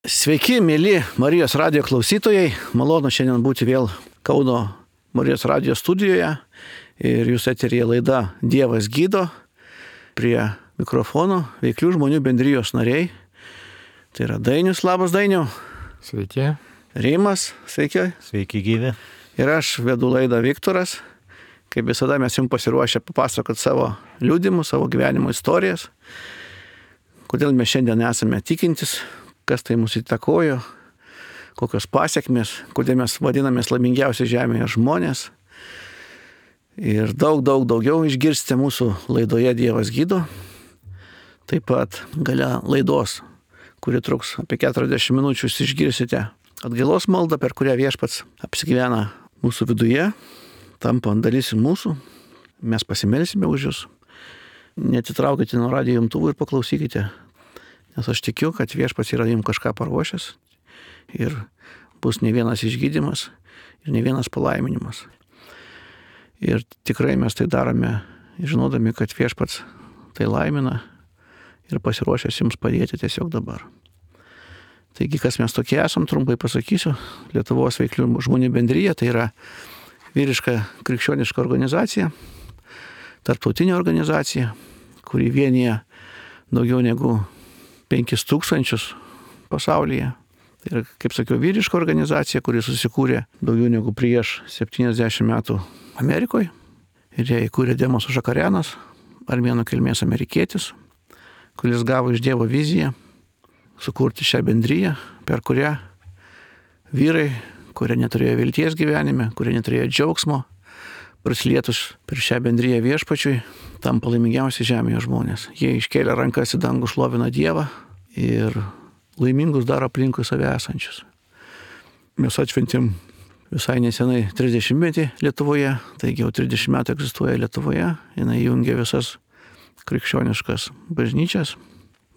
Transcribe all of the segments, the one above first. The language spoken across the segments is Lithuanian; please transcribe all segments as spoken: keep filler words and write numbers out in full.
Sveiki, mėly Marijos radijo klausytojai. Malonu šiandien būti vėl Kauno Marijos radijo studijoje. Ir jūs eteryje laida Dievas gydo. Prie mikrofono veiklių žmonių bendrijos nariai. Tai yra Dainius, labas Dainiau. Sveiki. Rimas, sveiki. Sveiki gyvi. Ir aš vedu laidą Viktoras. Kaip visada mes jums pasiruošę papasakoti savo liudimus, savo gyvenimo istorijas. Kodėl mes šiandien esame tikintis, kas tai mūsų įtakojo, kokios pasiekmės, kodėl mes vadinamės laimingiausi žemėje žmonės. Ir daug, daug daugiau išgirsite mūsų laidoje Dievas gydo. Taip pat gale laidos, kuri truks apie keturiasdešimt minučių, jūs išgirsite atgailos maldą, per kurią Viešpats apsigyvena mūsų viduje, tampa dalis mūsų. Mes pasimelsime už jūs. Neatitraukite nuo radijo imtuvų ir paklausykite. Nes aš tikiu, kad Viešpats yra jums kažką paruošęs ir bus ne vienas išgydymas ir ne vienas palaiminimas. Ir tikrai mes tai darome, žinodami, kad Viešpats tai laimina ir pasiruošęs jums padėti tiesiog dabar. Taigi, kas mes tokie esam, trumpai pasakysiu. Lietuvos veiklių žmonių bendrija, tai yra vyriška krikščioniška organizacija, tarptautinė organizacija, kuri vienyje daugiau negu penkis tūkstančius pasaulyje. Tai yra, kaip sakiau, vyriška organizacija, kuri susikūrė daugiau negu prieš septyniasdešimt metų Amerikoje. Ir ją įkūrė Demos Žakarianas, armėnų kilmės amerikietis, kuris gavo iš Dievo viziją sukurti šią bendriją, per kurią vyrai, kurie neturėjo vilties gyvenime, kurie neturėjo džiaugsmo, prisilietus per šią bendriją Viešpačiui, tampa laimingiausi žemėje žmonės. Jie iškėlė rankas į dangų, šlovina Dievą ir laimingus daro aplinkui save esančius. Mes atšventėm visai nesenai trisdešimtmetį Lietuvoje, taigi jau trisdešimt metų egzistuoja Lietuvoje. Jinai jungia visas krikščioniškas bažnyčias,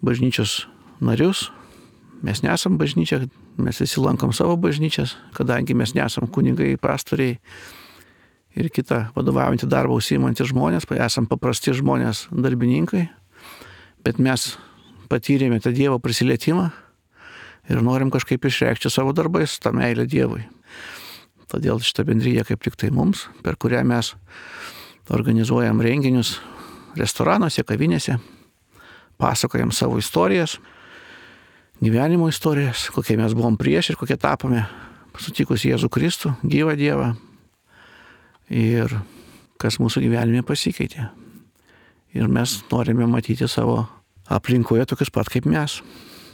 bažnyčios narius. Mes nesam bažnyčia, mes visi lankom savo bažnyčias, kadangi mes nesam kunigai, pastoriai ir kitą vadovaujantį darbą užsiimantys žmonės, esam paprasti žmonės, darbininkai, bet mes patyrėme tą Dievo prisilietimą ir norim kažkaip išreikšti savo darbais tą meilę Dievui. Todėl šitą bendriją kaip tik tai mums, per kurią mes organizuojam renginius restoranuose, kavinėse, pasakojam savo istorijas, gyvenimo istorijas, kokie mes buvom prieš ir kokie tapome sutikus Jėzų Kristų, gyvą Dievą. Ir kas mūsų gyvenime pasikeitė. Ir mes norime matyti savo aplinkoje tokius pat kaip mes.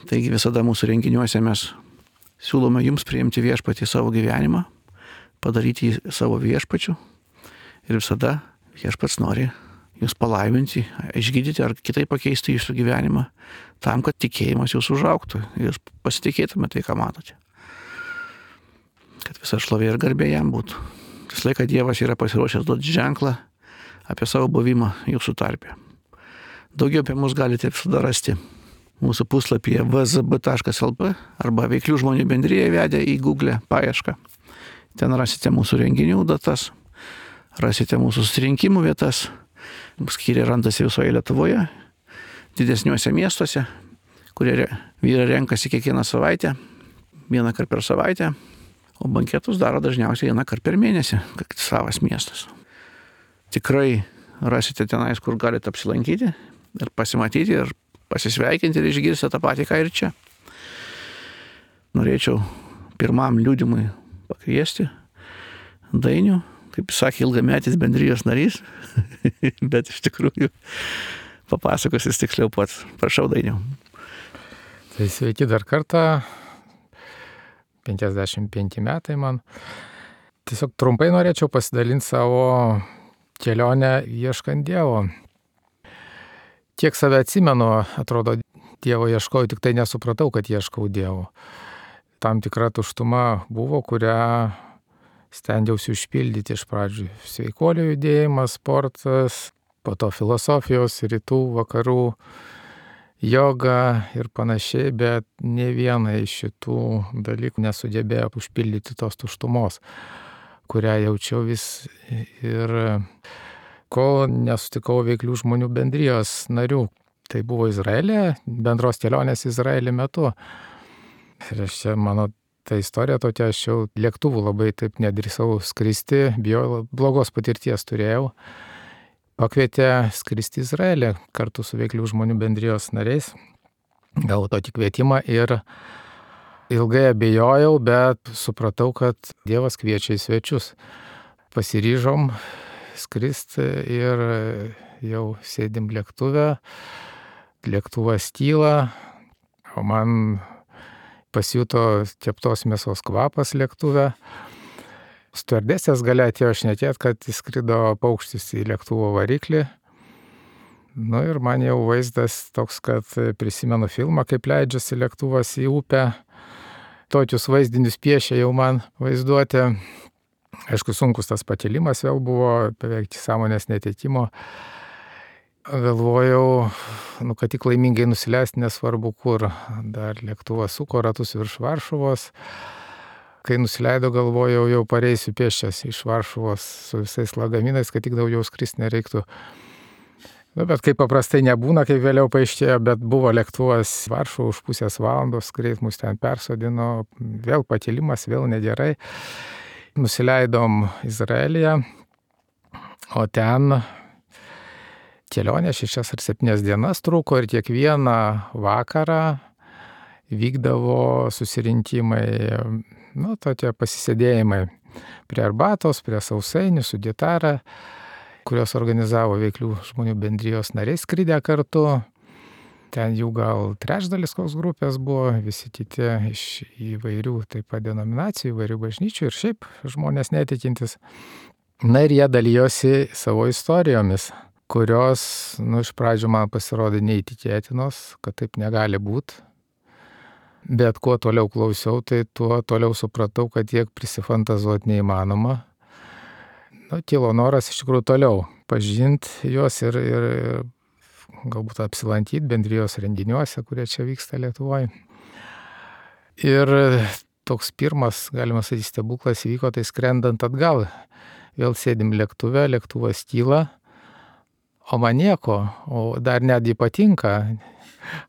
Taigi visada mūsų renginiuose mes siūlome jums priimti Viešpatį savo gyvenimą, padaryti jį savo viešpačiu. Ir visada Viešpats nori jūs palaiminti, išgydyti ar kitaip pakeisti jūsų gyvenimą, tam, kad tikėjimas jūsų užaugtų. Jūs pasitikėtumėte tai, ką matote. Kad visa šlovė ir garbė jam būtų. Visą laiką Dievas yra pasiruošęs duoti ženklą apie savo buvimą jūsų tarpe. Daugiau apie mus galite visada rasti mūsų puslapyje v z b taškas l p arba veiklių žmonių bendriją įvedę į Google paiešką. Ten rasite mūsų renginių datas, rasite mūsų susirinkimų vietas. Skyriai randasi visoje Lietuvoje, didesniuose miestuose, kurie vyrai renkasi kiekvieną savaitę, vieną kartą per savaitę. O banketus daro dažniausiai vieną kartą per mėnesį, kad savas miestas. Tikrai rasite tenais, kur galite apsilankyti ir pasimatyti ir pasisveikinti ir išgirsite tą patį, ką ir čia. Norėčiau pirmam liudimui pakviesti Dainių, kaip sakė, ilgametis bendrijos narys, bet iš tikrųjų papasakos jis tiksliau pats. Prašau, Dainiau. Tai sveiki dar kartą. penkiasdešimt penki metai man. Tiesiog trumpai norėčiau pasidalinti savo kelionę ieškant Dievo. Kiek save atsimenu, atrodo, Dievo ieškojau, tik tai nesupratau, kad ieškau Dievo. Tam tikra tuštuma buvo, kurią stengiausi užpildyti iš pradžių. Sveikuolių judėjimas, sportas, po to filosofijos, rytų, vakarų, joga ir panašiai, bet ne viena iš šitų dalykų nesugebėjo užpildyti tos tuštumos, kurią jaučiau vis. Ir kol nesutikau veiklių žmonių bendrijos narių, tai buvo Izraelė, bendros kelionės Izraelį metu. Ir aš čia mano ta istorija tokia, aš jau lėktuvų labai taip nedrįsau skristi, bijau, blogos patirties turėjau. Pakvietė skristi į Izraelį kartu su Veiklių žmonių bendrijos nariais. Gavau tokį kvietimą ir ilgai abejojau, bet supratau, kad Dievas kviečia į svečius. Pasiryžom skristi ir jau sėdim lėktuve, lėktuvas tyla, o man pasijuto keptos mėsos kvapas lėktuve. Stiuardesės gale atėjo šnekėt, kad įskrido paukštis į lėktuvo variklį. Nu ir man jau vaizdas toks, kad prisimenu filmą, kaip leidžiasi lėktuvas į upę. Tokius vaizdinius piešė jau man vaizduoti. Aišku, sunkus tas pakilimas vėl buvo, beveik sąmonės netekimo. Galvojau, nu, kad tik laimingai nusileisti, nesvarbu kur. Dar lėktuvas suko ratus virš Varšuvos. Kai nusileido, galvojau, jau pareisiu pėsčias iš Varšuvos su visais lagaminais, kad tik daugiau skristi nereiktų. Nu, bet kaip paprastai nebūna, kaip vėliau paaiškėjo, bet buvo lėktuvas Varšuvo už pusės valandos, greit mus ten persodino, vėl pakilimas, vėl negerai. Nusileidom Izraelyje, o ten kelionė šešias ar septynias dienas truko ir kiekvieną vakarą vykdavo susirinkimai, nu, tokie pasisėdėjimai prie arbatos, prie sausainių su gitara, kurios organizavo Veiklių žmonių bendrijos nariai skridę kartu. Ten jų gal trečdalis koks grupės buvo, visi kiti iš įvairių taip pat denominacijų, įvairių bažnyčių ir šiaip žmonės netikintis. Na ir jie dalyjosi savo istorijomis, kurios, nu, iš pradžių man pasirodė neįtikėtinos, kad taip negali būti. Bet kuo toliau klausiau, tai tuo toliau supratau, kad tiek prisifantazuoti neįmanoma. Nu, kilo noras iš tikrųjų toliau pažinti juos ir, ir galbūt apsilankyti bendrijos renginiuose, kurie čia vyksta Lietuvoje. Ir toks pirmas, galima sakyti, stebuklas įvyko, tai skrendant atgal. Vėl sėdim lėktuve, lėktuvas tyla, o man nieko, o dar netgi patinka.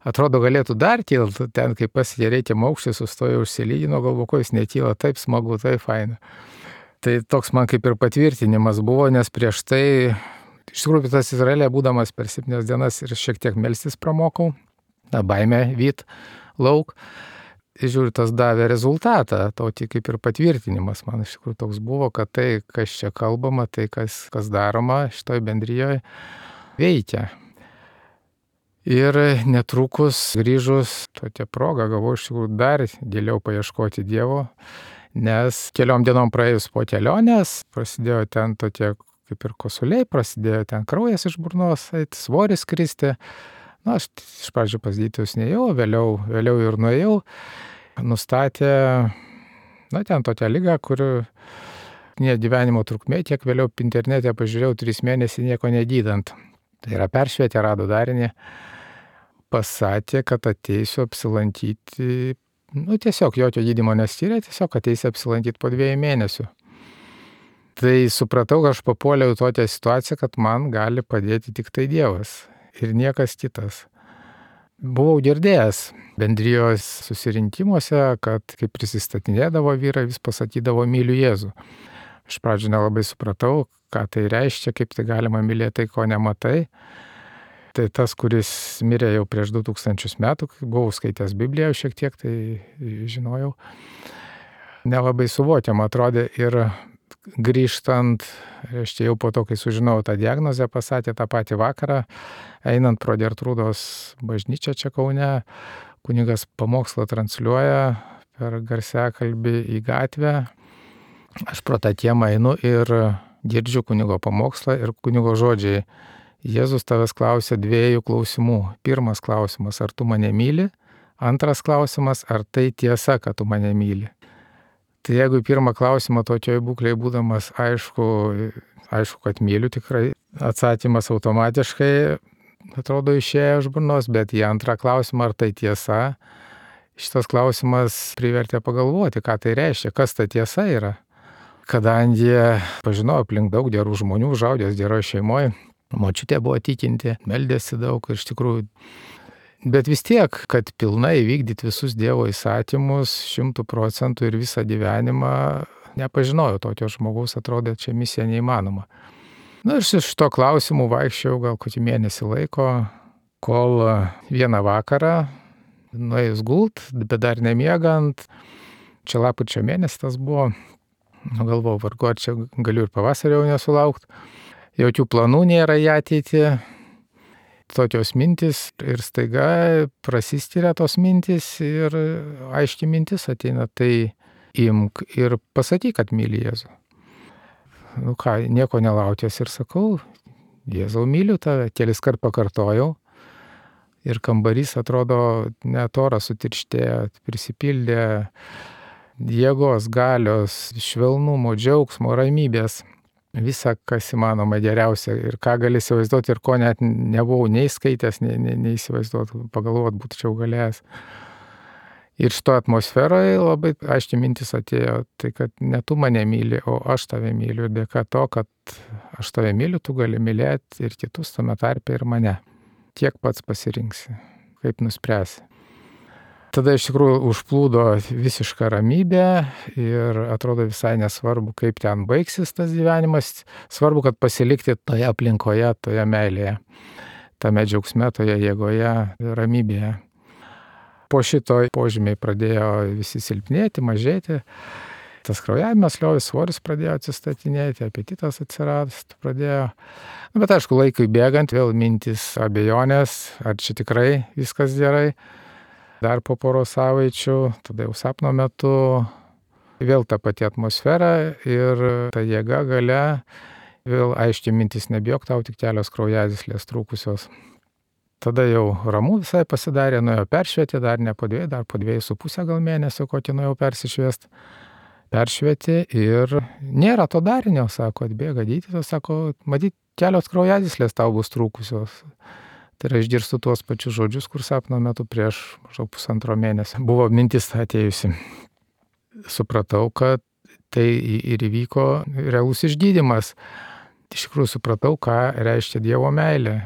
Atrodo, galėtų dar kilti, ten kaip pasiekė reikiamą aukštį, sustojo užsilygino, galvoju, ko jis netyla, taip smagu, taip faina. Tai toks man kaip ir patvirtinimas buvo, nes prieš tai, iš tikrųjų, tas Izraelė būdamas per septynias dienas ir šiek tiek melstis pramokau, na, baimę vyt lauk. Ir žiūriu, tas davė rezultatą, tokį kaip ir patvirtinimas. Man iš tikrųjų toks buvo, kad tai, kas čia kalbama, tai, kas, kas daroma šitoj bendrijoje, veikia. Ir netrukus grįžus tokią progą gavau iš tikrųjų dar giliau paieškoti Dievo, nes keliom dienom praėjus po kelionės prasidėjo ten tokie kaip ir kosuliai, prasidėjo ten kraujas iš burnos, svoris kristi. Na, aš iš pradžių pas gydytojus neėjau, vėliau, vėliau ir nuėjau. Nustatė, na, ten tokią ligą, kur ne gyvenimo trukmė, tiek vėliau internete pažiūrėjau, trys mėnesiai nieko negydant. Tai yra peršvietė, rado darinį. Pasakė, kad ateisiu apsilankyti, nu tiesiog jokio gydymo neskyrė, tiesiog ateisiu apsilankyti po dviejų mėnesių. Tai supratau, kad aš papuoliau į tokią situaciją, kad man gali padėti tik tai Dievas ir niekas kitas. Buvau girdėjęs bendrijos susirinkimuose, kad kai prisistatinėdavo vyrai, vis pasakydavo myliu Jėzų. Iš pradžių nelabai supratau, ką tai reiškia, kaip tai galima mylėti tai, ko nematai. Tai tas, kuris mirė jau prieš du tūkstančius metų, buvau skaitęs Bibliją šiek tiek, tai žinojau. Nelabai suvokiama atrodė ir grįžtant, reiškia jau po to, kai sužinojau tą diagnozę, pasakė tą patį vakarą, einant pro Gertrūdos bažnyčią čia Kaune, kunigas pamokslą transliuoja per garsiakalbį į gatvę. Aš pro tą kiemą einu ir girdžiu kunigo pamokslą ir kunigo žodžiai. Jėzus tavęs klausė dviejų klausimų. Pirmas klausimas, ar tu mane myli? Antras klausimas, ar tai tiesa, kad tu mane myli? Tai jeigu į pirmą klausimą tokioj būklėje būdamas aišku, aišku, kad myliu tikrai, atsakymas automatiškai atrodo išėjo iš burnos, bet į antrą klausimą, ar tai tiesa, šitas klausimas privertė pagalvoti, ką tai reiškia, kas ta tiesa yra. Kadangi pažinojau aplink daug gerų žmonių, užaugęs geroje šeimoje, močiutė buvo tikinti, meldėsi daug ir iš tikrųjų Bet vis tiek, kad pilnai vykdyti visus Dievo įsakymus šimtų procentų ir visą gyvenimą, nepažinojau tokio žmogaus, atrodė, čia misija neįmanoma. Na ir su šito klausimu vaikščiau gal kokį mėnesį laiko, kol vieną vakarą, nuėjus gult, bet dar nemiegant, čia lapkričio mėnesį tas buvo, galvojau, vargu, ar čia galiu ir pavasario nesulaukti, jokių planų nėra į ateitį. Tokios mintis ir staiga prasiskiria tos mintis ir aiški mintis ateina, tai imk ir pasakyk, kad myli Jėzų. Nu ką, nieko nelaukęs ir sakau, Jėzau, myliu tave, kelis kart pakartojau ir kambarys atrodo net oras sutirštėjo, prisipildė jėgos, galios, švelnumo, džiaugsmo, ramybės. Visa, kas įmanoma geriausia ir ką gali įsivaizduoti ir ko net nebuvau nei skaitęs, nei, nei, nei įsivaizduoti, pagalvoti būčiau galėjęs. Ir šito atmosferoje labai aiškiai mintis atėjo, tai kad ne tu mane myli, o aš tave myliu. Ir dėka to, kad aš tave myliu, tu gali mylėti ir kitus tame tarpe ir mane. Kiek pats pasirinksi, kaip nuspręsi. Tada iš tikrųjų užplūdo visiška ramybė ir atrodo visai nesvarbu, kaip ten baigsis tas gyvenimas. Svarbu, kad pasilikti toje aplinkoje, toje meilėje, tame džiaugsme, toje jėgoje, ramybėje. Po šito požymiai pradėjo visi silpnėti, mažėti. Tas kraujavimas liovės, svoris pradėjo atsistatinėti, apetitas atsirasti pradėjo. Bet aišku, laikui bėgant vėl mintis abejonės, ar čia tikrai viskas gerai. Dar po poros savaičių, tada jau sapno metu, vėl ta pati atmosfera ir ta jėga galia, vėl aiškiai mintis, nebijok, tau tik kelios kraujagyslės trūkusios. Tada jau ramu visai pasidarė, nuėjau peršvietė, dar ne po dviejų, dar po dviejų su pusę gal mėnesio, kokį nuėjau persišviesti. Peršvietė ir nėra to darinio, sako, atbėga gydytojas, sako, matyt, kelios kraujagyslės tau bus trūkusios. Tai yra išgirstu tuos pačius žodžius, kur sapno metu prieš maždaug pusantro mėnesio buvo mintis atėjusi. Supratau, kad tai ir įvyko realus išgydymas. Iš tikrųjų supratau, ką reiškia Dievo meilė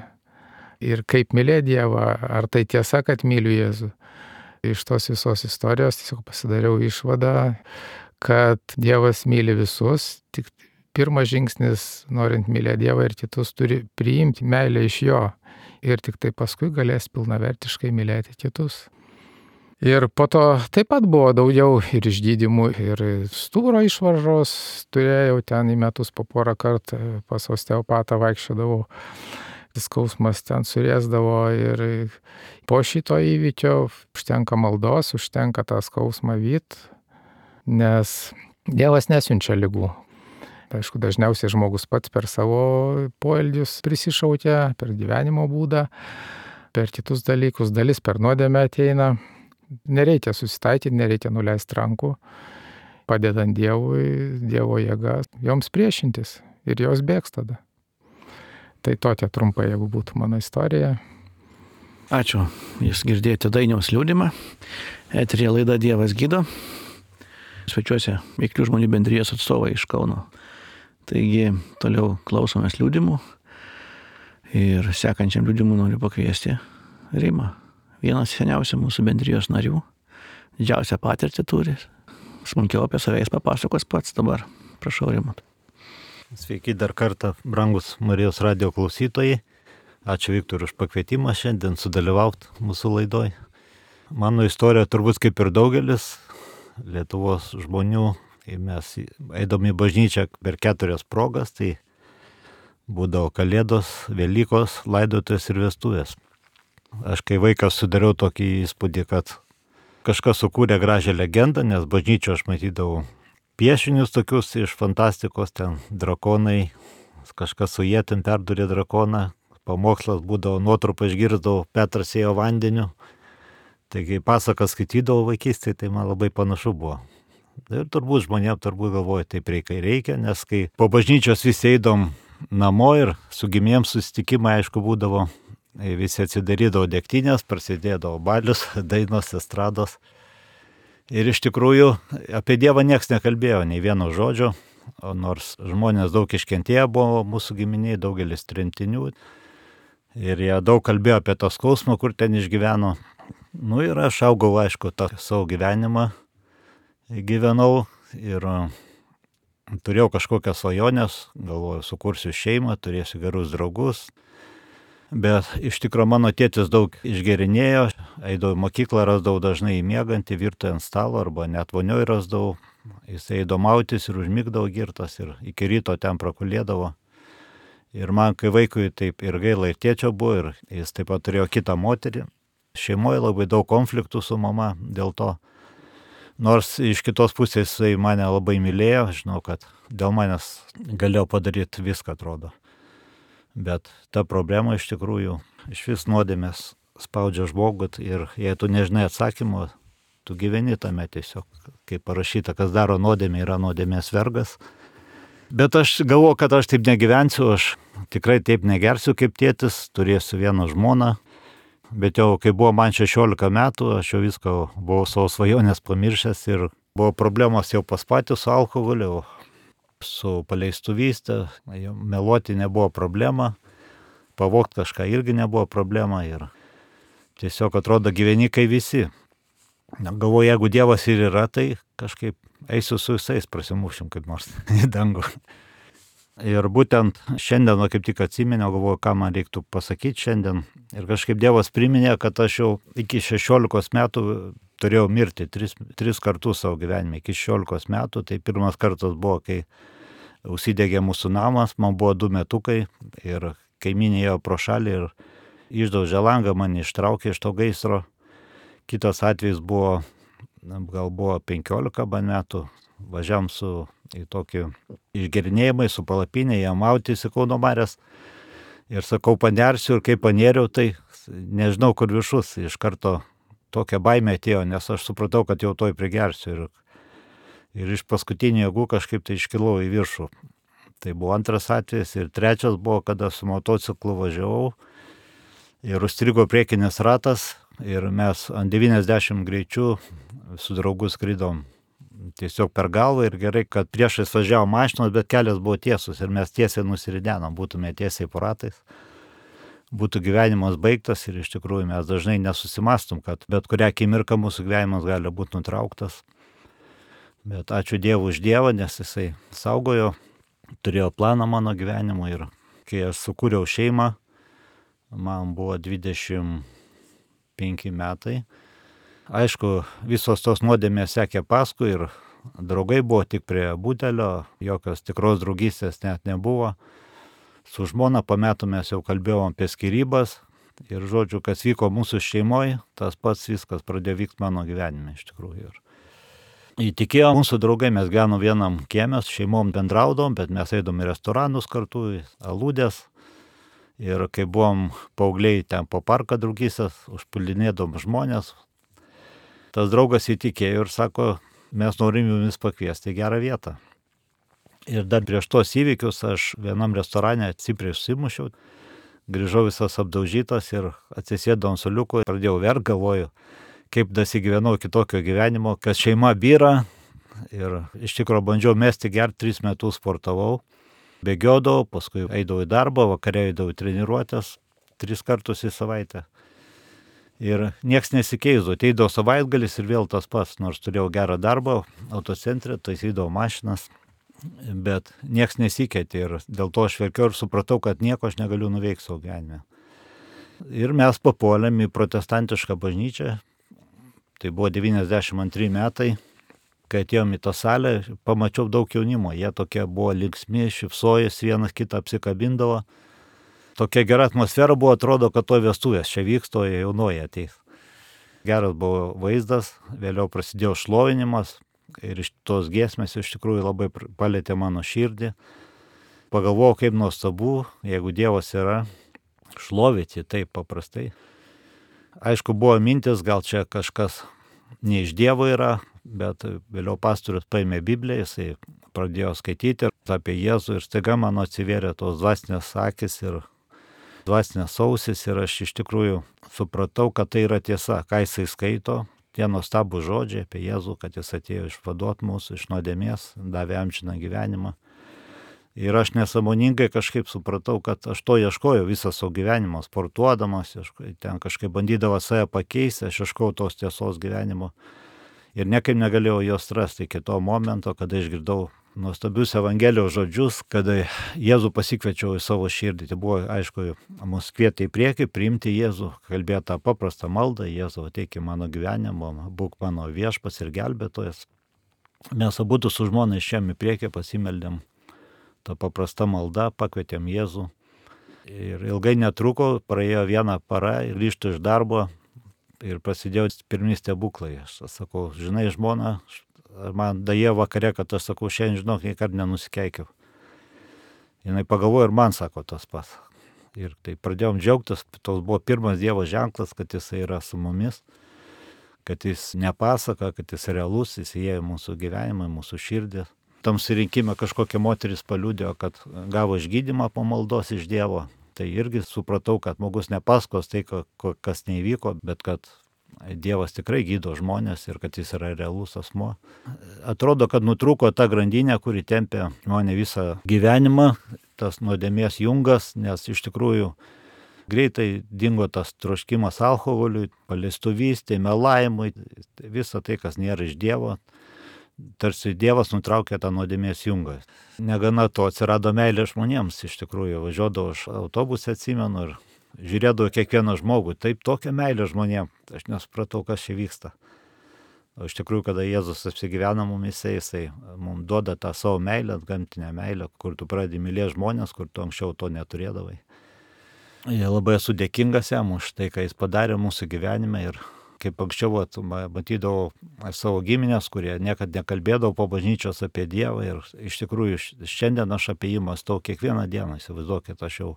ir kaip mylėti Dievą, ar tai tiesa, kad myliu Jėzų. Iš tos visos istorijos tiesiog pasidariau išvadą, kad Dievas myli visus, tik pirmas žingsnis, norint mylėti Dievą ir kitus, turi priimti meilę iš Jo. Ir tik tai paskui galės pilnavertiškai mylėti kitus. Ir po to taip pat buvo daugiau ir išgydymų, ir stuburo išvaržos turėjau ten į metus po porą kartų pas osteopatą vaikščiodavau. Skausmas ten surėsdavo ir po šito įvykio užtenka maldos, užtenka tą skausmą vyt, nes Dievas nesiunčia ligų. Aišku, dažniausiai žmogus pats per savo poelgius prisišaukia, per gyvenimo būdą, per kitus dalykus, dalis per nuodėmę ateina. Nereikia susitaikyti, nereikia nuleisti rankų, padedant Dievui, Dievo jėga, joms priešintis ir jos bėgs tada. Tai tokia trumpai, jeigu būtų mano istorija. Ačiū, jūs girdėjote Dainiaus liudymą. Eteryje laida Dievas gydo. Svečiuose Veiklių žmonių bendrijos atstovai iš Kauno. Taigi toliau klausomės liudymų ir sekančiam liudymui noriu pakviesti Rimą. Vienas seniausių mūsų bendrijos narių, didžiausią patirtį turi. Smulkiau apie save jis papasakos pats dabar. Prašau, Rimantai. Sveiki dar kartą, brangus Marijos radijo klausytojai. Ačiū Viktorui už pakvietimą šiandien sudalyvauti mūsų laidoj. Mano istorija turbūt kaip ir daugelis Lietuvos žmonių. Mes eidami į bažnyčią per keturias progas, tai būdavo Kalėdos, Velykos, laidotuvės ir vestuvės. Aš kai vaikas sudariau tokį įspūdį, kad kažkas sukūrė gražią legendą, nes bažnyčio aš matydavau piešinius tokius iš fantastikos, ten drakonai, kažkas su ietim perdurė drakoną, pamokslas būdavo, nuotrupą išgirdavau, Petras ėjo vandeniu. Taigi pasakas skaitydavau vaikystėje, tai man labai panašu buvo. Ir turbūt žmonėm turbūt galvoja, taip reikia, reikia, nes kai po bažnyčios visi eidom namo ir su gimėjams susitikimai, aišku, būdavo, visi atsidarydavo degtinės, prasidėdavo balius, dainos, estrados. Ir iš tikrųjų apie Dievą nieks nekalbėjo, nei vieno žodžio, o nors žmonės daug iškentėję buvo mūsų giminiai, daugelis tremtinių. Ir jie daug kalbėjo apie tą skausmą, kur ten išgyveno. Nu ir aš augau, aišku, tą savo gyvenimą gyvenau ir turėjau kažkokias svajonės, galvoju, sukursiu šeimą, turėsiu gerus draugus. Bet iš tikrųjų mano tėtis daug išgerinėjo, eidavau į mokyklą, rasdavau dažnai įmiegantį virtuvę ant stalo arba net vonioj rasdavau. Jis eidavo mautis ir užmigdavo girtas ir iki ryto ten prakulėdavo. Ir man, kai vaikui taip ir gaila ir tėčio buvo, ir jis taip pat turėjo kitą moterį. Šeimoje labai daug konfliktų su mama dėl to. Nors iš kitos pusės jisai mane labai mylėjo, žinau, kad dėl manęs galėjau padaryti viską, atrodo. Bet ta problema iš tikrųjų iš vis nuodėmės spaudžia žmogų ir jei tu nežinai atsakymo, tu gyveni tame tiesiog. Kaip parašyta, kas daro nuodėmę, yra nuodėmės vergas. Bet aš galvoju, kad aš taip negyvensiu, aš tikrai taip negersiu kaip tėtis, turėsiu vieną žmoną. Bet jau kai buvo man šešiolika metų, aš jau viską buvau savo svajonės pamiršęs ir buvo problemos jau pas patį su alkoholiu, su paleistuvystė, meluoti nebuvo problema, pavogti kažką irgi nebuvo problema ir tiesiog atrodo gyveni kai visi. Galvoju, jeigu Dievas ir yra, tai kažkaip eisiu su visais, prasimušim kaip nors į dangų. Ir būtent šiandien, kaip tik atsiminiau, galvoju, ką man reiktų pasakyti šiandien. Ir kažkaip Dievas priminė, kad aš jau iki šešiolikos metų turėjau mirti tris, tris kartus savo gyvenime. Iki šešiolikos metų, tai pirmas kartas buvo, kai užsidegė mūsų namas, man buvo du metukai ir kaimynė ėjo pro šalį ir išdaužė langą, mane ištraukė iš to gaisro. Kitas atvejis buvo, gal buvo penkiolika metų, važiavam su į tokį išgerinėjimą, su palapinė, jie mautis į Kauno Marias. Ir sakau, panersiu ir kai panėriau, tai nežinau, kur viršus. Iš karto tokia baimė atėjo, nes aš supratau, kad jau toj prigersiu. Ir, ir iš paskutinių jėgų kažkaip tai iškilau į viršų. Tai buvo antras atvejis. Ir trečias buvo, kada su motociklu važiavau ir užstrigo priekinis ratas. Ir mes ant devyniasdešimt greičių su draugu skridom tiesiog per galvą ir gerai, kad priešais važiavo mašinos, bet kelias buvo tiesus ir mes tiesiai nusiridenom, būtume tiesiai po ratais. Būtų gyvenimas baigtas ir iš tikrųjų mes dažnai nesusimastum, kad bet kurią akimirką mūsų gyvenimas gali būti nutrauktas. Bet ačiū Dievui už Dievą, nes jisai saugojo, turėjo planą mano gyvenimo ir kai aš sukūriau šeimą, man buvo dvidešimt penki metai. Aišku, visos tos nuodėmės sekė paskui ir draugai buvo tik prie butelio, jokios tikros draugystės net nebuvo. Su žmona po metų mes jau kalbėjom apie skyrybas ir žodžiu, kas vyko mūsų šeimoje, tas pats viskas pradėjo vykti mano gyvenime iš tikrųjų. Ir įtikėjo mūsų draugai, mes gyvenom vienam kieme, šeimom bendraudom, bet mes eidom į restoranus kartu, į aludės. Ir kai buvom paaugliai ten po parką draugystės, užpuldinėdom žmonės, tas draugas įtikėjo ir sako, mes norim jumis pakviesti į gerą vietą. Ir dar prieš tos įvykius aš vienam restorane stipriai susimušiau, grįžau visas apdaužytas ir atsisėdau ant suoliuko, pradėjau verkt, galvoju, kaip dasigyvenau kitokio gyvenimo, kad šeima byra ir iš tikrųjų bandžiau mesti gerti, tris metus sportavau, bėgiodavau, paskui eidavau į darbą, vakare eidavau į treniruotės, tris kartus į savaitę. Ir nieks nesikeisdavo, ateidavo savaitgalis ir vėl tas pats, nors turėjau gerą darbą, autocentre, taisydavau mašinas, bet nieks nesikeitė ir dėl to aš verkiau ir supratau, kad nieko aš negaliu nuveikti savo gyvenime. Ir mes papuolėm į protestantišką bažnyčią, tai buvo devyniasdešimt antri metai, kai atėjom į tą salę, pamačiau daug jaunimo, jie tokie buvo linksmi, šypsojus, vienas kitą apsikabindavo. Tokia gera atmosfera buvo, atrodo, kad to vestuvės čia vyksta, o jaunoji ateis. Geras buvo vaizdas, vėliau prasidėjo šlovinimas ir iš tos giesmės iš tikrųjų labai palėtė mano širdį. Pagalvojau, kaip nuostabu, jeigu Dievas yra, šlovyti taip paprastai. Aišku, buvo mintis, gal čia kažkas ne iš Dievo yra, bet vėliau pastorius paėmė Bibliją, jisai pradėjo skaityti apie Jėzų ir staiga mano atsivėrė tos dvasinės akis ir dvasinės ausis ir aš iš tikrųjų supratau, kad tai yra tiesa, ką jisai skaito, tie nuostabūs žodžiai apie Jėzų, kad jis atėjo išvaduot mūsų iš nuodėmės, davė amžiną gyvenimą. Ir aš nesąmoningai kažkaip supratau, kad aš to ieškojau visą savo gyvenimą, sportuodamas, ten kažkaip bandydavo save pakeisti, aš ieškojau tos tiesos gyvenimo. Ir niekaip negalėjau jos rasti iki to momento, kada išgirdau nuostabius Evangelijos žodžius, kada Jėzų pasikviečiau į savo širdį. Tai buvo, aišku, mus kvietė į priekį, priimti Jėzų, kalbėti tą paprastą maldą, Jėzų ateik į mano gyvenimą, būk mano viešpats ir gelbėtojas. Mes abudu su žmona išėjom į priekį, pasimeldėm tą paprastą maldą, pakvietėm Jėzų. Ir ilgai netruko, praėjo vieną parą ir grįžtu iš darbo ir prasidėjo pirmi stebuklai. Aš sakau, žinai, žmona, man daėjo vakare, kad aš sakau, šiandien, žinok, niekad nenusikeikiau. Jinai pagalvojo ir man sako tas pats. Ir tai pradėjom džiaugtis, tos buvo pirmas Dievo ženklas, kad jisai yra su mumis, kad jis nepasaka, kad jis realus, jis įėjo į mūsų gyvenimą, į mūsų širdį. Tam surinkime kažkokia moteris paliudėjo, kad gavo išgydymą po maldos iš Dievo. Tai irgi supratau, kad žmogus nepasakos tai, kas neįvyko, bet kad Dievas tikrai gydo žmonės ir kad jis yra realus asmuo. Atrodo, kad nutrūko ta grandinė, kuri tempė mane visą gyvenimą, tas nuodėmės jungas, nes iš tikrųjų greitai dingo tas troškimas alkoholiui, paleistuvystei, melavimui, visa tai, kas nėra iš Dievo. Tarsi Dievas nutraukė tą nuodėmės jungą. Negana to, atsirado meilė žmonėms, iš tikrųjų, važiuodavau aš autobusą, atsimenu, ir žiūrėdavau kiekvieną žmogų, taip tokia meilė žmonėms, aš nesupratau, kas čia vyksta. O iš tikrųjų, kada Jėzus apsigyvena mumise, jisai mums duoda tą savo meilę, gamtinę meilę, kur tu pradedi mylėti žmonės, kur tu anksčiau to neturėdavai. Ir labai esu dėkingas jam už tai, ką jis padarė mūsų gyvenime. Ir kaip anksčiau matydavau savo giminės, kurie niekad nekalbėdavo po bažnyčios apie Dievą. Ir iš tikrųjų šiandien aš apie jį mąstau kiekvieną dieną. Įsivaizduokit, aš jau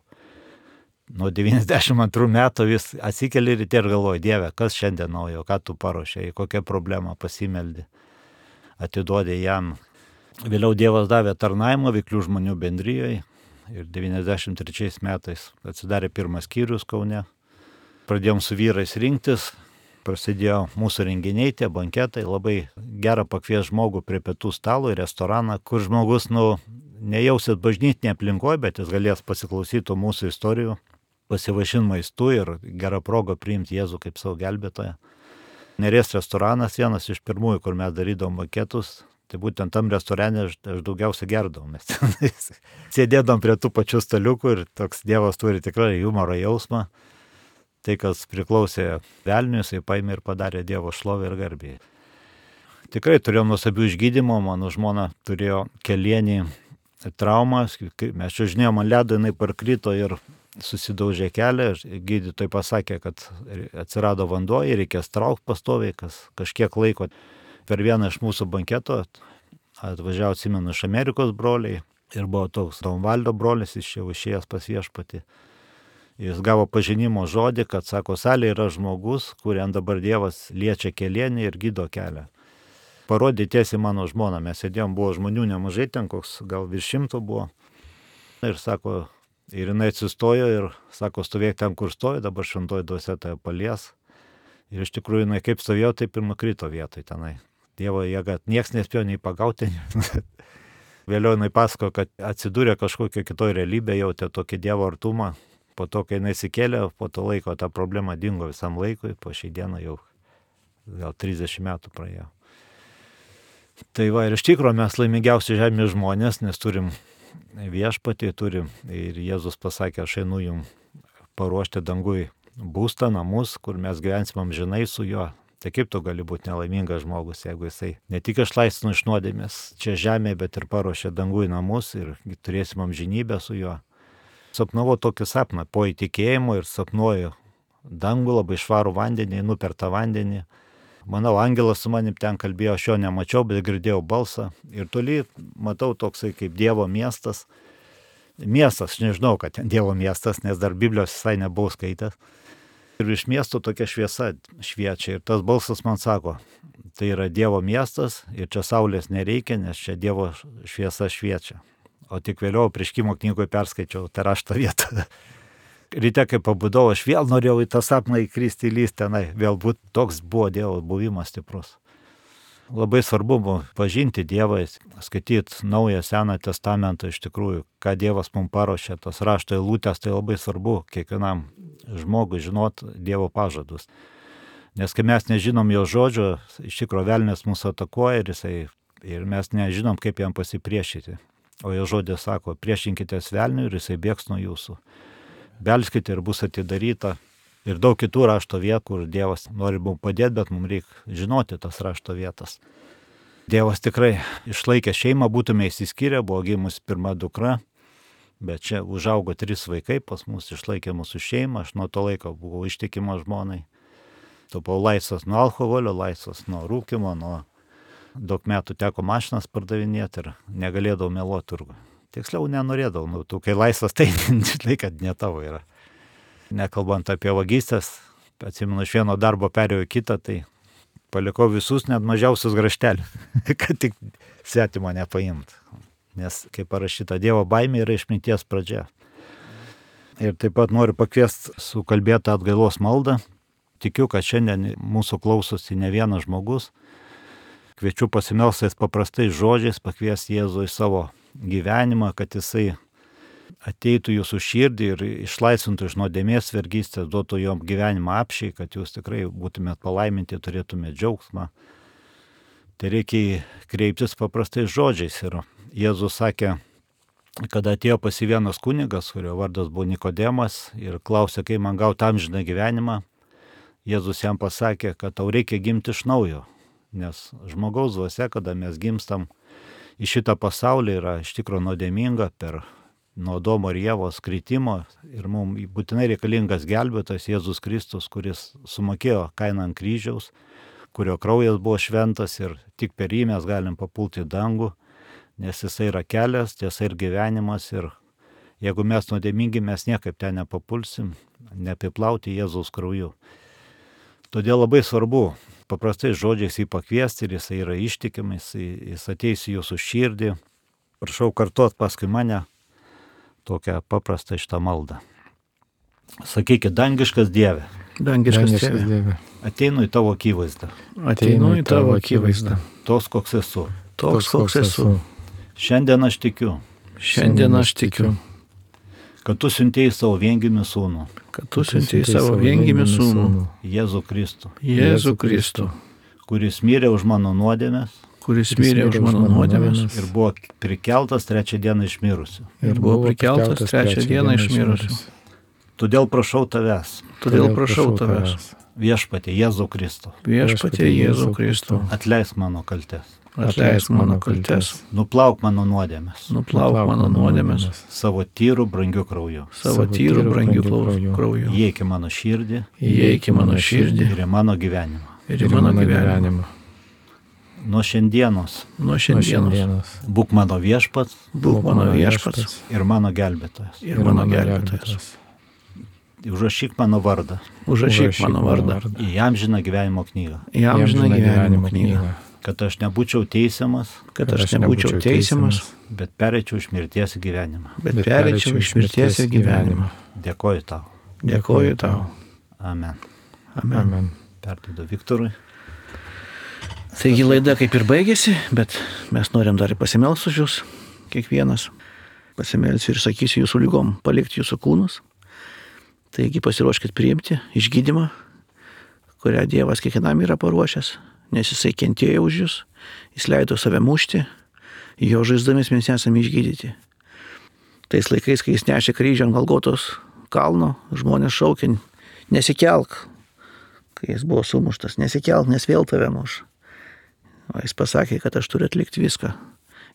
nuo devyniasdešimt antrų metų vis atsikeli ryte ir galvoju, Dieve, kas šiandien naujo, ką tu paruošei, kokią problemą pasimeldi, atiduodė jam. Vėliau Dievas davė tarnavimą Veiklių žmonių bendrijoje ir devyniasdešimt trečiais metais atsidarė pirmas skyrius Kaune. Pradėjom su vyrais rinktis. Prasidėjo mūsų renginiai, tie banketai, labai gera pakvies žmogų prie pietų stalo į restoraną, kur žmogus, nu, nejausit bažnytinė aplinkoje, bet jis galės pasiklausyti mūsų istorijų, pasivaišinti maistu ir gerą progą priimti Jėzų kaip savo gelbėtoją. Neries restoranas vienas iš pirmųjų, kur mes darydavom banketus, tai būtent tam restorane aš, aš daugiausia gerdavau. Mes sėdėdom prie tų pačių staliukų ir toks Dievas turi tikrai humoro jausmą. Tai, kas priklausė velniui, jisai paėmė ir padarė Dievo šlovę ir garbę. Tikrai turėjom nuostabių išgydymų, mano žmona turėjo kelienį traumą, mes čiuožinėjom ant ledo, jinai parkrito ir susidaužė kelią, gydytojai pasakė, kad atsirado vanduo ir reikės traukti pastoviai, kas kažkiek laiko. Per vieną iš mūsų banketo atvažiavo, atsimenu, iš Amerikos broliai ir buvo toks Donvaldo brolis, iš jau išėjęs pas viešpatį. Jis gavo pažinimo žodį, kad, sako, salė yra žmogus, kuriam dabar Dievas liečia kelienį ir gydo kelią. Parodė tiesiai mano žmoną, mes sėdėjom, buvo žmonių nemažai, ten koks gal virš šimto buvo. Ir sako, ir jinai atsistojo ir sako, stovėk ten, kur stojo, dabar šventoji dvasia tave palies. Ir iš tikrųjų jinai kaip stovėjo, taip ir nukrito vietoj tenai. Dievo jėga, nieks nespėjo nei pagauti. Vėliau jinai pasako, kad atsidūrė kažkokio kitoje realybėje, jautė tokį Dievo artumą. Po to, kai jinai įsikėlė, po to laiko ta problema dingo visam laikui, po šiai dieną jau gal trisdešimt metų praėjo. Tai va, ir iš tikrųjų mes laimingiausi žemės žmonės, nes turim viešpatį, turim ir Jėzus pasakė, aš einu jums paruošti dangui būstą, namus, kur mes gyvensim amžinai su juo. Tai kaip tu gali būti nelaimingas žmogus, jeigu jisai ne tik išlaisvino iš nuodėmės čia žemėje, bet ir paruošė dangui namus ir turėsim amžinybę su juo. Sapnavau tokį sapną, po įtikėjimo ir sapnuoju dangų, labai švarų vandenį, nupertą vandenį. Manau, angelas su manim ten kalbėjo, aš jo nemačiau, bet girdėjau balsą. Ir toli matau toksai kaip Dievo miestas. Miestas, aš nežinau, kad ten Dievo miestas, nes dar Biblijos visai nebuvau skaitęs. Ir iš miesto tokia šviesa šviečia. Ir tas balsas man sako, tai yra Dievo miestas ir čia saulės nereikia, nes čia Dievo šviesa šviečia. O tik vėliau Apreiškimo knygoje perskaičiau tą rašto vietą. Ryte, kai pabudau, aš vėl norėjau į tą sapną įkristi, įlysti tenai. Vėl būt toks buvo Dievo buvimas stiprus. labai svarbu pažinti Dievą, skaityti Naują Seną Testamentą iš tikrųjų, ką Dievas mums paruošė, tos rašto eilutės, tai labai svarbu kiekvienam žmogui žinot Dievo pažadus. Nes kai mes nežinom jo žodžio, iš tikrųjų velnias mūsų atakuoja ir, jisai, ir mes nežinom, kaip jam pasipriešyti. O jo žodis sako, priešinkitės velniui ir jisai bėgs nuo jūsų. Belskite ir bus atidaryta. Ir daug kitų rašto vietų, kur Dievas nori mums padėti, bet mums reikia žinoti tas rašto vietas. Dievas tikrai išlaikė šeimą, būtume įsiskyrę, buvo gimus pirma dukra, bet čia užaugo trys vaikai, pas mus išlaikė mūsų šeimą, aš nuo to laiko buvau ištikimas žmonai. Tapau laisvas nuo alkoholio, laisvas nuo rūkimo, nuo daug metų teko mašinas pardavinėti ir negalėdavau meluoti turgų. Tiksliau nenorėdavau, nu, tu kai laisvas, tai žinai, kad ne tavo yra. Nekalbant apie vagystės, atsimenu, iš vieno darbo perėjau į kitą, tai palikau visus net mažiausius graštelius, kad tik svetimo nepaimt. Nes, kaip parašyta, Dievo baimė yra išminties pradžia. Ir taip pat noriu pakviesti sukalbėtą atgailos maldą. Tikiu, kad šiandien mūsų klausosi ne vienas žmogus. Kviečiu pasimelstais paprastais žodžiais pakviesti Jėzų į savo gyvenimą, kad jisai ateitų jūsų širdį ir išlaisvintų iš nuodėmės vergystės, duotų jom gyvenimą apšiai, kad jūs tikrai būtumėt palaiminti, turėtumėt džiaugsmą. Tai reikia kreiptis paprastais žodžiais. Ir Jėzus sakė, kada atėjo pas jį vienas kunigas, kurio vardas buvo Nikodemas, ir klausė, kaip man gauti amžiną gyvenimą, Jėzus jam pasakė, kad tau reikia gimti iš naujo, nes žmogaus dvasia, kada mes gimstam į šitą pasaulį, yra iš tikro nuodėminga per nuo Adomo ir Ievos kritimo ir mums būtinai reikalingas gelbėtojas Jėzus Kristus, kuris sumokėjo kainą ant kryžiaus, kurio kraujas buvo šventas ir tik per jį mes galim papulti į dangų, nes jisai yra kelias, tiesa ir gyvenimas ir jeigu mes nuodėmingi, mes niekaip ten nepapulsim, neapiplauti Jėzaus krauju. Todėl labai svarbu paprastai žodžiais jį pakviesti ir jisai yra ištikimas, jis ateis į jūsų širdį. Prašau kartuot paskui mane tokią paprastą šitą maldą. Sakykit, dangiškas Dieve. Dangiškas Dieve. Ateinu į tavo akivaizdą. Ateinu į tavo akivaizdą. Toks, koks esu. Toks, koks esu. Šiandien aš tikiu. Šiandien aš tikiu. Kad tu siuntėjai savo viengimį sūnų. Kad tu siuntėjai savo viengimį sūnų. Jėzų Kristų. Jėzų Kristų. Kuris mirė už mano nuodėmes. Kuris mirė už mano nuodėmes. Ir buvo prikeltas trečią dieną iš mirusių. Ir buvo prikeltas trečią dieną iš mirusių. Todėl prašau tavęs. Todėl prašau tavęs. Viešpatie Jėzų Kristų. Viešpatie Jėzų Kristų. Atleisk mano kaltes. Atleisk mano kaltes. Nuplauk mano nuodėmes. Nuplauk mano nuodėmes. Savo tyrų brangių krauju. Savo tyrų brangių krauju. Įeik į mano širdį. Įeik į mano širdį. Ir į mano gyvenimą. Ir į mano gyvenimą. Nuo šiandienos. Nuo šiandienos. Būk mano viešpats. Būk mano viešpats. Ir mano gelbėtojas. Ir mano gelbėtojas. Užrašyk mano vardą. Užrašyk mano vardą. Į amžiną gyvenimo knygą. Į amžiną gyvenimo knygą. Kad aš nebūčiau teisiamas. Kad aš nebūčiau teisiamas. Bet pereičiau iš mirties į gyvenimą. Bet pereičiau iš mirties į gyvenimą. Dėkoju tau. Dėkoju tau. Amen. Amen. Perduodu Viktorui. Taigi laida kaip ir baigėsi, bet mes norim dar pasimelsti už jūs, kiekvienas. Pasimelsiu ir sakysiu jūsų lygom, palikti jūsų kūnus. Taigi pasiruoškit priimti išgydymą, kurią Dievas kiekvienam yra paruošęs, nes jisai kentėjo už jūs, jis leido save mušti, jo žaizdomis mes esame išgydyti. Tais laikais, kai jis nešė kryžių ant Golgotos kalno, žmonės šaukė, nesikelk, kai jis buvo sumuštas, nesikelk, nes vėl tave muš. O jis pasakė, kad aš turiu atlikti viską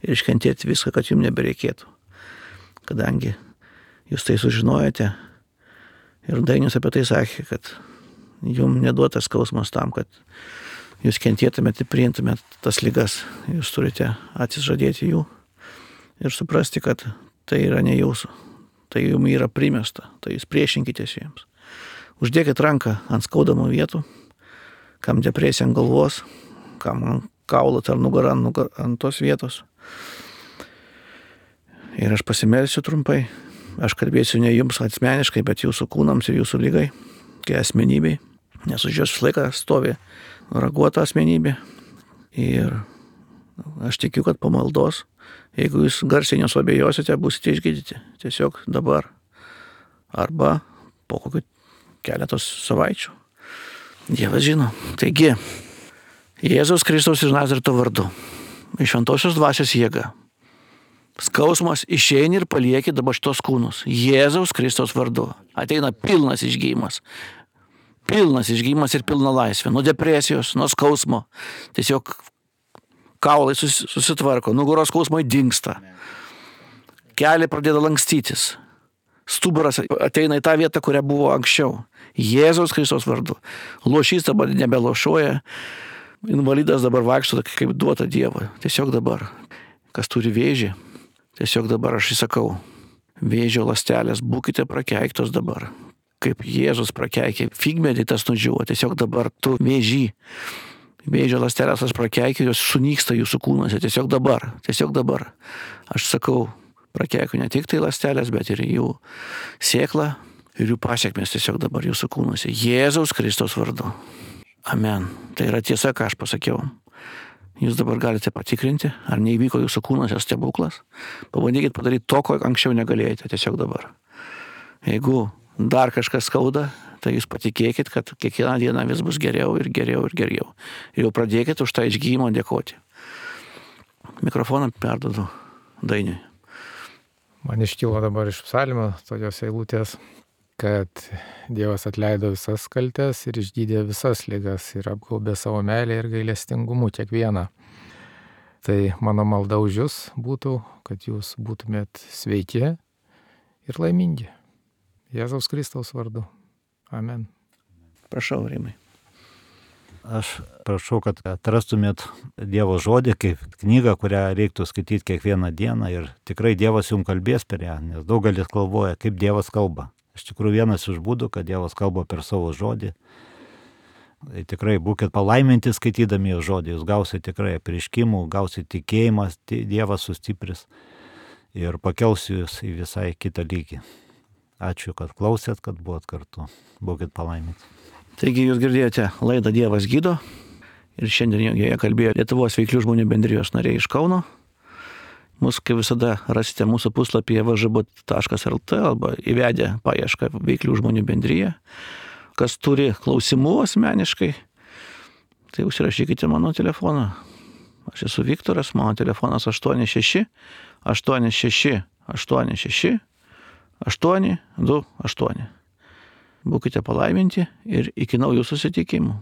ir iškentėti viską, kad jums nebereikėtų. Kadangi jūs tai sužinojate ir Dainius apie tai sakė, kad jums neduotas skausmas tam, kad jūs kentėtumėte ir priimtumėte tas ligas. Jūs turite atsižadėti jų ir suprasti, kad tai yra ne jūsų. Tai jums yra primesta, tai jūs priešinkitės jiems. Uždėkit ranką ant skaudamų vietų, kam depresija ant galvos, kam ant kaulo ar nugarą ant tos vietos. Ir aš pasimelsiu trumpai. Aš kalbėsiu ne jums asmeniškai, bet jūsų kūnams ir jūsų lygai, kai asmenybei. Nes už jos visą laiką stovi raguota asmenybė. Ir aš tikiu, kad po maldos, jeigu jūs garsiai nesuabejosite, būsite išgydyti. Tiesiog dabar. Arba po kokių keletos savaičių. Dievas žino. Taigi, Jėzaus Kristaus iš Nazareto vardu, iš šventosios dvasios jėga, skausmas išeini ir palieki dabar šitos kūnus. Jėzaus Kristaus vardu. Ateina pilnas išgyjimas. Pilnas išgyjimas ir pilna laisvė. Nuo depresijos, nuo skausmo. Tiesiog kaulai susitvarko, nugaros skausmai dingsta. Keliai pradeda lankstytis. Stuburas ateina į tą vietą, kurią buvo anksčiau. Jėzaus Kristaus vardu. Lošys dabar nebelošuoja. Invalidas dabar vaikšto kaip duota Dievo. Tiesiog dabar. Kas turi vėžį, tiesiog dabar aš įsakau. Vėžio ląstelės, būkite prakeiktos dabar. Kaip Jėzus prakeikė figmedį, tas nudžiuvo. Tiesiog dabar tu vėžį. Vėžio ląstelės aš prakeikė, jos sunyksta jūsų kūnuose. Tiesiog dabar. Tiesiog dabar. Aš sakau, prakeikiu ne tik tai ląstelės, bet ir jų sėklą ir jų pasiekmes tiesiog dabar jūsų kūnuose. Jėzaus Kristaus vardu. Amen. Tai yra tiesa, ką aš pasakiau. Jūs dabar galite patikrinti, ar neįvyko jūsų kūnuose stebuklas. Pabandykit padaryti to, ko anksčiau negalėjote, tiesiog dabar. Jeigu dar kažkas skauda, tai jūs patikėkit, kad kiekvieną dieną vis bus geriau ir geriau ir geriau. Ir jau pradėkit už tą išgijimą dėkoti. Mikrofoną perduodu Dainiui. Man iškilo dabar iš psalmio tokios eilutės, kad Dievas atleido visas kaltes ir išgydė visas ligas ir apgaubė savo meilę ir gailestingumu kiekvieną. Tai mano malda už jūs būtų, kad jūs būtumėt sveiki ir laimingi. Jėzaus Kristaus vardu. Amen. Prašau, Rimai. Aš prašau, kad atrastumėt Dievo žodį kaip knygą, kurią reiktų skaityti kiekvieną dieną ir tikrai Dievas jums kalbės per ją, nes daugelis galvoja, kaip Dievas kalba. Iš tikrųjų vienas iš būdų, kad Dievas kalba per savo žodį. Tai tikrai būkit palaiminti skaitydami jo žodį, jūs gausite tikrai apreiškimų, gausite tikėjimą, Dievas sustipris ir pakels jūs į visai kitą lygį. Ačiū, kad klausėt, kad buvot kartu. Būkit palaiminti. Taigi jūs girdėjote laidą Dievas gydo ir šiandien joje kalbėjo Lietuvos veiklių žmonių bendrijos nariai iš Kauno. Mūsų, kaip visada, rasite mūsų puslapyje v ž b taškas l t arba įvedę paiešką veiklių žmonių bendryje. Kas turi klausimų asmeniškai, tai užsirašykite mano telefoną. Aš esu Viktoras, mano telefonas aštuoni šeši aštuoni šeši aštuoni šeši aštuoni du aštuoni. Būkite palaiminti ir iki naujų susitikimų.